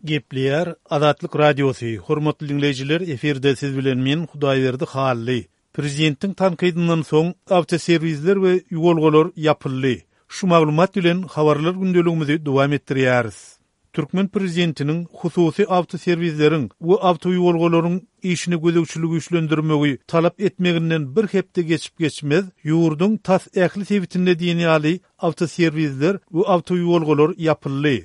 Gepleýär Azatlyk Radiosy, Hormatly diňleýjiler, efirde siz bilen men, Hudaýberdi Hally. Prezidentiň tankydyndan soň awtoserwisler we ýuwalgalar ýapyldy. Şu maglumat bilen habarlar gündeligimizi dowam etdirýäris. Türkmen prezidentiniň hususy awtoserwisleriň we awtoýuwalgalaryň işine gözegçiligi güýçlendirmegi talap etmeginden bir hepde geçip-geçmez, ýurduň tas ähli sebitinde diýen ýaly awtoserwisler we awtoýuwalgalar ýapyldy.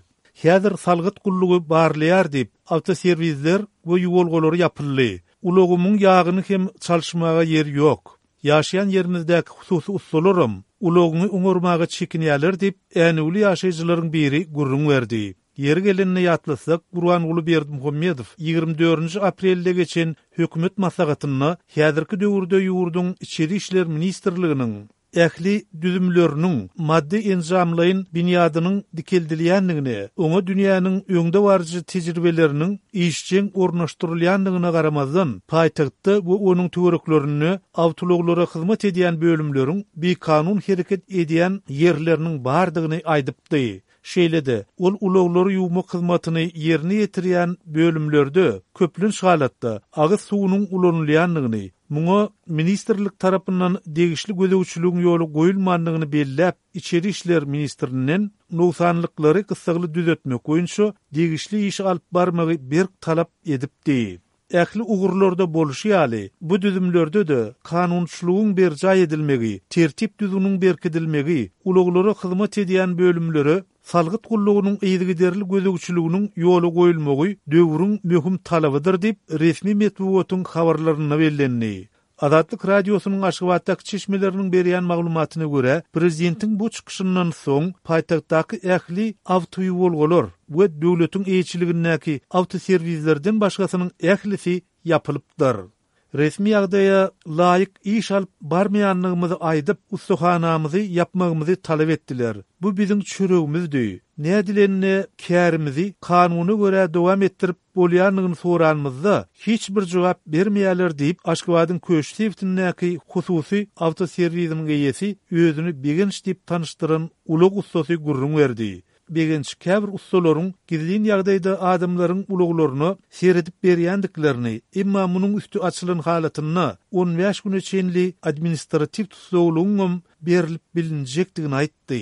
Häzir salgyt gullugy barlaýar diýip, awtoserwisler we ýuwalgalar ýapyldy. Ulagymyň ýagyny hem çalyşmaga ýer ýok. Ýaşaýan ýerimizdäki hususy ussalaram ulagyňy oňarmaga çekinýärler diýip, änewli ýaşaýjylaryň biri gürrüň berdi. Ýeri gelende ýatlatsak, Gurbanguly Berdimuhamedow 24-nji aprelde geçen hökümet maslahatynda häzirki döwürde ýurduň Içeri işler ministrliginiň ähli düzümleriniň maddy-enjamlaýyn binýadynyň dikeldilýändigine, oňa dünýäniň öňdebaryjy tejribeleriniň işjeň ornaşdyrylýandygyna garamazdan, paýtagtda we onuň töwereklerinde awtoulaglara hyzmat edýän bölümleriň bikanun hereket edýän ýerleriniň bardygyny aýdypdy. Şeýle-de, ol ulaglary ýuwmak hyzmatyny ýerine ýetirýän bölümlerde, köplenç halatda, agyz suwunyň ulanylýandygyny, muňa ministrlik tarapyndan degişli gözegçiligiň ýola goýulmandygyny belläp, içeri işler ministrinden nogsanlyklary gyssagly düzetmek boýunça degişli işi alyp barmagy berk talap edipdi. Ähli ugurlarda bolşy ýaly, bu düzümlerde-de kanunçylygyň berjaý edilmegi, tertip-düzgüniň berkidilmegi, ulaglara hyzmat edýän bölümlere salgyt gullugynyň yzygiderli gözegçiliginiň ýola goýulmagy döwrüň möhüm talabydyr diýip, resmi metbugatyň habarlarynda bellendi. Azatlyk Radiosynyň Aşgabatdaky çeşmeleriniň berýän maglumatyna görä, prezidentiň bu çykyşyndan soň paýtagtdaky ähli awtoýuwalgalar we döwletiň eýeçiligindäki awtoserwislerden başgasynyň ählisi ýapylypdyr. Resmi ýagdaýa laýyk iş alyp barmaýandygymyzy aýdyp, ussahanamyzy ýapmagymyzy talap etdiler. Bu biziň çöregimizdi. Nädilende kärimizi kanuna görä dowam etdirip bolýandygyny soranymyzda, hiç bir jogap bermeýärler diýip, Aşgabadyň Köşi sebitindäki hususy awtoserwisiniň eýesi özüni Begenç diýip tanyşdyran ulag ussasy gürrüň berdi. Begenç käbir ussalaryň gizlin ýagdaýda adamlaryň ulaglaryna seredip berýändiklerini, emma munuň üsti açylan halatynda 15 güne çenli administratiw tussaglygyňam berlip bilinjekdigini aýtdy.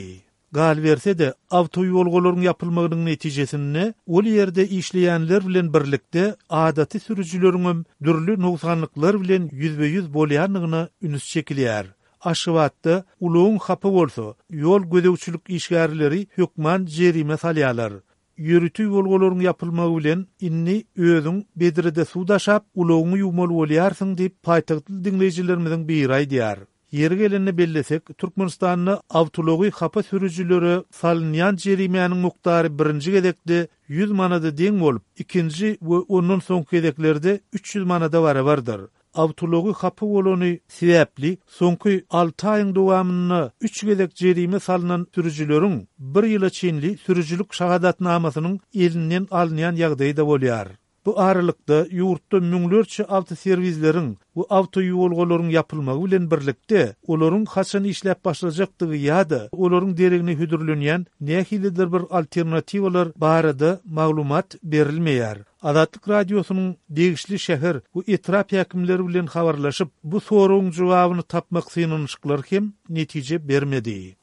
Galyberse-de, awtoýuwalgalaryň ýapylmagynyň netijesinde ol ýerde işleýänler bilen birlikde adaty sürüjileriňem dürli nogsanlyklar bilen ýüzbe-ýüz bolýandygyna üns çekilýär. Aşgabatda ulagyň hapa bolsa, ýol gözegçilik işgärleri hökman jerime salýarlar. Ýörite ýuwalgalaryň ýapylmagy bilen indi özüň bedrede suw daşap, ulagyňy ýuwmaly bolýarsyň diýip, paýtagtly diňleýjilerimiziň biri aýdýar. Ýeri gelende bellesek, Türkmenistanda awtoulagy hapa sürüjilere salynýan jerimäniň mukdary birinji gezekde 100 manada deň bolup, ikinji we ondan soňky gezeklerde 300 manada barabardyr. Awtoulagy hapa bolany sebäpli soňky alty aýyň dowamynda üç gezek jerime salnan sürüjileriň bir ýyla çenli sürüjilik şahadatnamasynyň elinden alynýan ýagdaýy-da bolýar. Bu aralykda, ýurtda müňlerçe awtoserwisleriň we awtoýuwalgalaryň ýapylmagy bilen birlikde, olaryň haçan işläp başlajakdygy ýa-da olaryň deregine hödürlenýän nähilidir bir alternatiwalar barada maglumat berilmeýär. Azatlyk Radiosynyň degişli şäher we etrap häkimleri bilen habarlaşyp, bu soragyň jogabyny tapmak synanyşyklary hem netije bermedi.